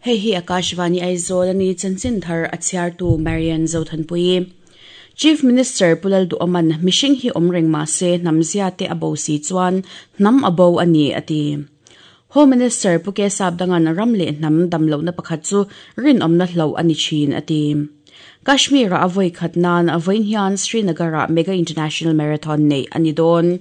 Hei hi Akashvani Aizawl a ni, chanchin thar a chhiartu Marian Zothanpuii. Chief Minister Pu Lalduhawman mihring hi awm reng mah se hnam zia te a bo si chuan hnam a bo a ni a ti. Home Minister Pu Ke Sapdangan ram leh hnam dam lohna pakhat chu rinawmna hloh a ni thin a ti. Kashmir-ah a vawi khat nan vawiin hian Srinagar-ah Mega International Marathon neih a ni dawn.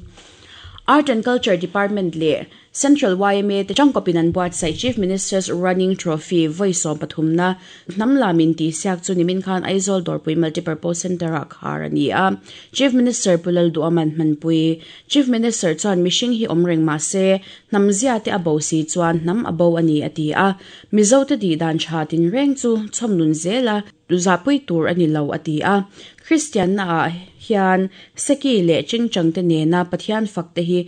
Art and Culture Department leh Central yma te tangkawpin an buatsaih Chief Minister's Running Trophy vawi sawmpathumna hnam lam in tihsiak chu nimin khan Aizawl Dawrpui Multipurpose Centre-ah khar a ni a. Chief Minister Pu Lalduaman hmanpui. Chief Minister chuan mihring hi awm reng mah se hnam zia te a bo si chuan hnam a bo a ni a ti a. Mizo te tih dan tha tinreng chu chhawm nun zel a zahpui tur a ni lo a ti a. Kristianna ah hian Seki leh Chingchang te nena Pathian fak te hi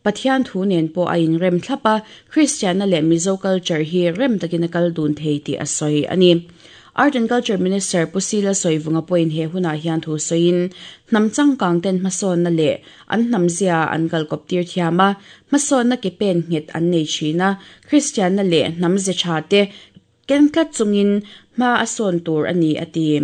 Pathian thu nen pawh a inrem thlap a, Kristianna leh Mizo culture hi rem takin a kal dun thei tih a sawi a ni. Art and Culture Minister Pu Sila Sawivunga pawhin he hunah hian thu sawiin, hnam changkang ten hmasawnna leh an hnam zia an kalkawp tir thiam a, hmasawnna ke pen nghet an nei thin a, Kristianna leh hnam ze tha te Ken tlat chungin hma a sawn tur a ni, a ti.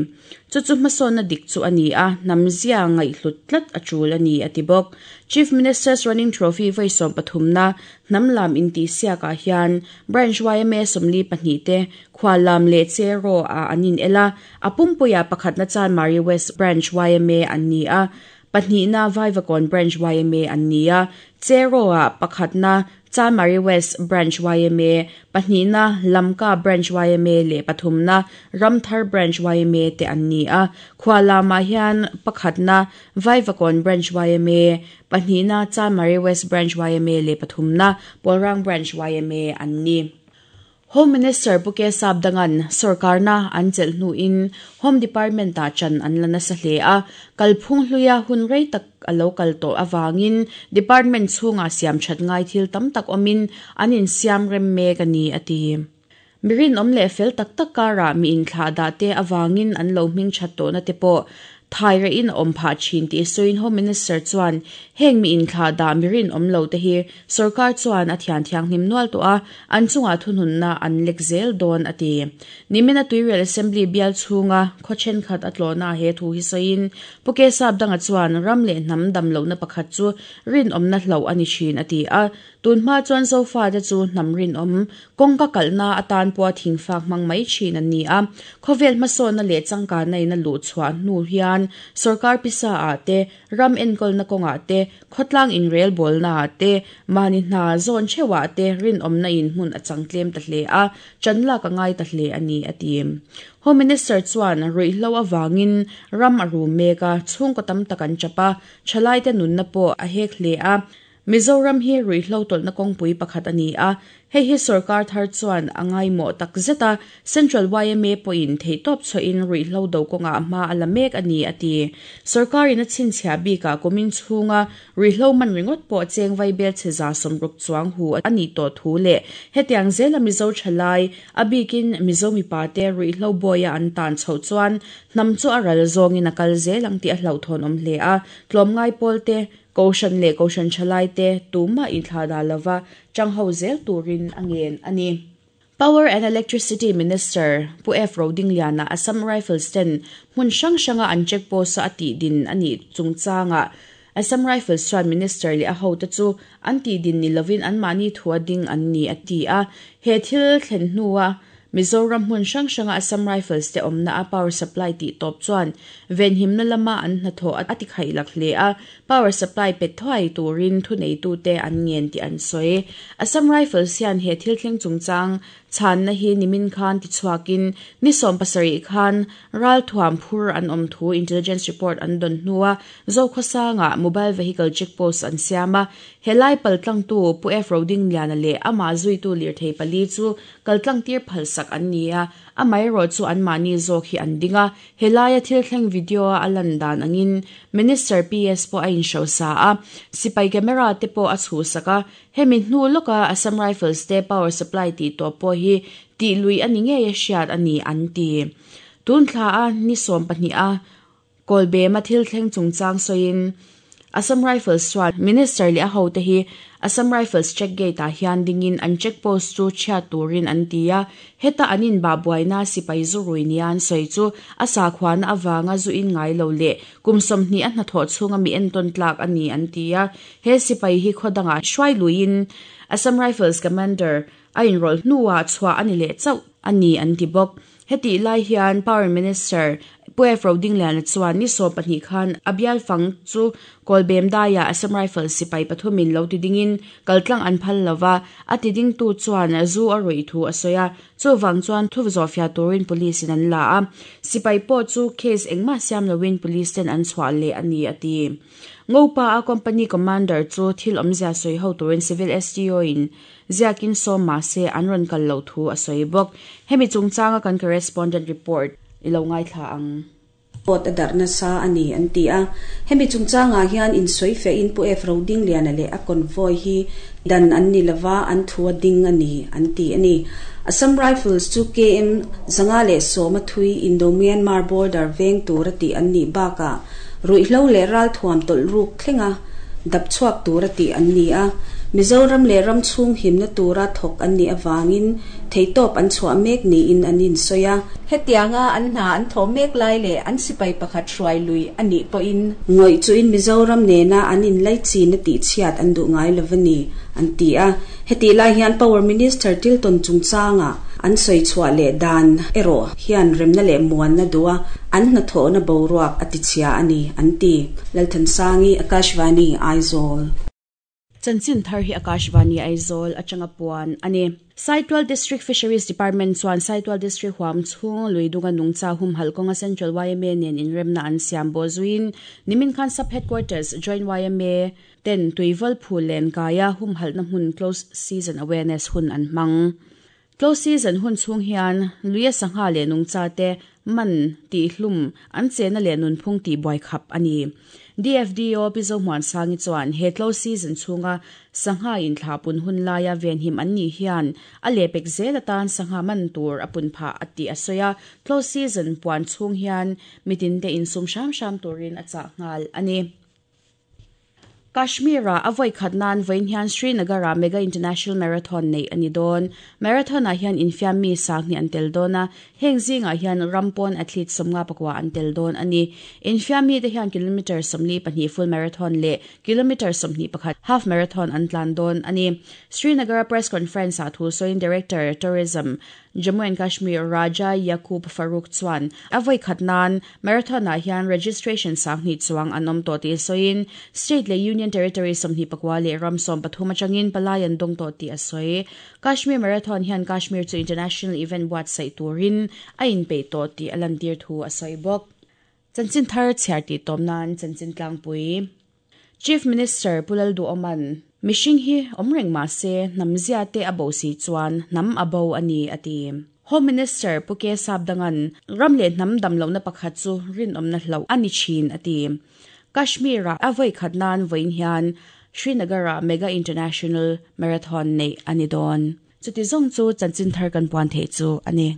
Chu chu hmasawnna dik chu a ni a, hnam zia ngaihhlut tlat a tul a ni, a ti bawk. Chief Minister's Running Trophy vawi sawmpathumna hnam lam intihsiakah hian Branch yma 42 te khual lam leh Cheraw ah an inel a, a pumpuiah pakhatna Chanmari West Branch yma an ni a, pahnihna Vaivakawn Branch yma an ni a, Cheraw ah pakhatna Chanmari West Branch yma, pahnihna Lamka Branch yma leh pathumna Ramthar Branch yma te an ni a. Khualamah hian pakhatna Vaivakawn Branch yma, pahnihna Chanmari West Branch yma leh pathumna Pawlrang Branch yma an ni. Home Minister Pu Ke Sapdangan sorkarna an chelh hnuin Home Department-ah chan an la nasa hle a, kalphung hluia hun rei tak a lo kal tawh avangin department chhungah siam that ngai thil tam tak awmin an insiam rem mek a ni, a ti. Mi rinawm leh fel tak tak karah mi inthlahdah te avangin an lo hming that tawhna te pawh Thai rehin a awm phah thin tih sawiin Home Minister chuan heng mi inthlahdah mi rinawm lo te hi Sorkar chuan a thian thianghlim nual tawh a, an chungah thununna an lek zel dawn a ti. Nimina Tuirial Assembly bial chhunga khaw thenkhat a tlawhna he thu hi sawiin Pu Kesap Danga chuan ram leh hnam dam lohna pakhat chu rinawmna hloh a ni thin a ti a, tun hma chuan Zofate chu hnam rinawm kawngka kalhna atan pawha thingfak hmang mai thin an ni a, khawvel hmasawnna leh changkanna in a luh chhuah hnu hian sorkar pisa ah te, ram enkawlna kawngah te, Khawtlang inrelbawlnaah te, mahni hna zawn theuhah te rinawmna in hmun a chang tlem ta hle a, chan lak a ngai ta hle a ni, a ti. Home Minister chuan ruihhlo avangin ram a rum mek a, chhungkaw tam tak an chap a, thalaite nunna pawh a hek hle a. Mizoram hi ruihhlo tawlhna kawngpui pakhat a ni a, Hei hi sorkar thar chuan a ngaimawh tak zet a, Central yma pawhin theihtawp chhuahin ruihhlo do kawngah hma a la mek a ni, a ti. Sorkarin a chhinchhiah bikah kumin chhunga ruihhlo man ringawt pawh cheng vaibel chhe 160 chuang hu a nih tawh thu leh hetiang zela Mizo thalai, a bikin Mizo mipate ruihhlo bawia an tan chhoh chuan hnam chu a ral zawngin a kal zel ang tih a hlauhthawn awm hle a, tlawmngai pawlte Kohhran leh Kohhran thalaite tumah inthlahdah lova changho zel turin a ngen a ni. Power and Electricity Minister Pu F. Rodingliana Assam Rifles ten hmun hrang hranga an check post-a a tihdin a nih chungchangah Assam Rifles chuan Minister leh a hote chu an tihdin ni lovin anmahni thua ding an ni a ti a. He thil thlen hnua Mizoram hmun hrang hranga Assam Rifles te awmna a power supply tih tawp chuan venhimna lama an hnathawh a ti khaih lak hle a, power supply pe thuai turin thuneitute an ngen tih an sawi. Assam Rifles hian he thil thleng chungchang chhanna hi nimin khan tichhuakin ni 17 khan ralthuam phur an awm thu intelligence report an dawn hnua Zokhawsangah mobile vehicle check post an siam a, helai paltlangtu Pu F. Rodingliana leh amah zuitu lirthei pali chu Kaltlang tir phalsak an ni a, amaherawh chu anmahni zawk hi an ding a. Helaia thil thleng video-a a lan dan angin Minister PS pawh a inhrosa a, sipai camera te pawh a chhuhsak a. Hemi hnu lawka Assam Rifles te power supply tih tawh pawh hi tih lui a ni ngei a hriat a ni an ti. Tun thla a ni 12 a Kawlbema thil thleng chungchang sawiin. Assam Rifles chuan Minister leh a hote hi Assam Rifles check gate ah hian dingin an check post chu chhiat turin an ti a, heta an inbah buaina sipai zu rui nia an sawi chu a sakhuana avanga zu in ngai lo leh kum 20 a hnathawh chhunga mi entawn tlak a ni an ti a, he sipai hi khaw dangah hruai luiin Assam Rifles Commander a inrawlh hnuah chhuah a ni leh chauh a ni an ti bawk. Hetih lai hian Power Minister Pu F. Rodingliana chuan ni 12 khan a bial fang chu Kawlbem daiah Assam Rifles sipai pathumin lo ti dingin kaltlang an phal lo va, a ti dingtu chuan zu a ruih thu a sawi a, chuvang chuan thu zawhfiah turin Police in an la a, sipai pawh chu case engmah siam loin Police ten an chhuah leh a ni a ti. Ngopa a Company Commander chu thil awmzia sawi ho turin Civil SDO in Ziakin sawm mahse an rawn kal loh thu a sawi bawk. Hemi chungchanga kan correspondent report i lo ngaithla ang. Pawt a darh nasa a ni an ti a. Hemi chungchangah hian insawi fehin Pu F. Rodingliana leh a convoy hi dan an ni lova an thu a ding a ni an ti a ni. Assam Rifles chu KM 510 a thui Indo-Myanmar border veng tura tih an nih bakah ruihhlo leh ralthuam tawlh ruk thlenga dap chhuak tura tih an ni a, Mizoram leh ram chhung himna tura thawk an nih avangin theihtawp an chhuah mek niin an insawi a. Hetianga an hna an thawh mek lai leh an sipai pakhat hruai lui a nih pawhin, Ngawih chuin Mizoram nena an inlaichin a tihchhiat an duh ngai lo a ni, an ti a. Hetih lai hian Power Minister Tilton chungchanga an sawi chhuah leh dan erawh hian remna leh muanna duh a, an hnathawhna boruak a tichhia a ni, an ti. Lalthansangi, Akashvani, Aizawl. Chanchin thar hi Akashvani, Aizawl atanga puan a ni. Saitual District Fisheries Department chuan Saitual District huam chhung Luidunga nungcha humhalh kawnga Central yma nen inremna an siam bawh zuiin nimin khan Sub Headquarters Joint yma ten tuivawl phul len kaia humhalhna hmun Close Season Awareness hun an hmang. Close Season hun chhung hian luia sangha leh nungcha te man tihhlum an chena leh nunphung tih buai khap a ni. DFDO Pi Zohmuansangi chuan he Close Season chhunga sangha inthlah pun hun laia venhim an nih hian a lehpek zel atan sangha man tur a pun phah a tih a sawi a, Close Season puan chhung hian mitinte insum hram hram turin a chah nghal a ni. Kashmir-ah a vawi khat nan vawiin hian Srinagar-ah Mega International Marathon neih a ni dawn. Marathon-ah hian infiam mi sanghnih an tel dawn a, heng zingah hian ram pawn athlete 51 an tel dawn a ni. Infiam mite hian kilometre 42 full marathon leh kilometre 21 half marathon an tlan dawn a ni. Srinagar-a press conference-ah thu sawiin Director, Tourism, Jammu and Kashmir Raja Yaqub Farooq chuan a vawi khat nan Marathon-ah hian registration 2000 chuang an awm tawh tih sawiin State leh Union Territory 24 leh ram 13 atangin palai an dawng tawh tih a sawi. Kashmir Marathon hian Kashmir chu international event buatsaih turin a inpeih tawh tih a lantir thu a sawi bawk. Chanchin thar chhiar tih tawm nan chanchin tlangpui. Chief Minister Pu Lalduhawman, Mihring hi awm reng mah se hnam zia te a bo si chuan hnam a bo a ni, a ti. Home Minister Pu K Sapdangan, Ram leh hnam dam lohna pakhat chu rinawmna hlauh a ni thin, a ti. Kashmir-ah a vawi khat nan vawiin hian Srinagar-ah Mega International Marathon neih a ni dawn. Chuti zawng chu chanchin thar kan puan theih chu a ni.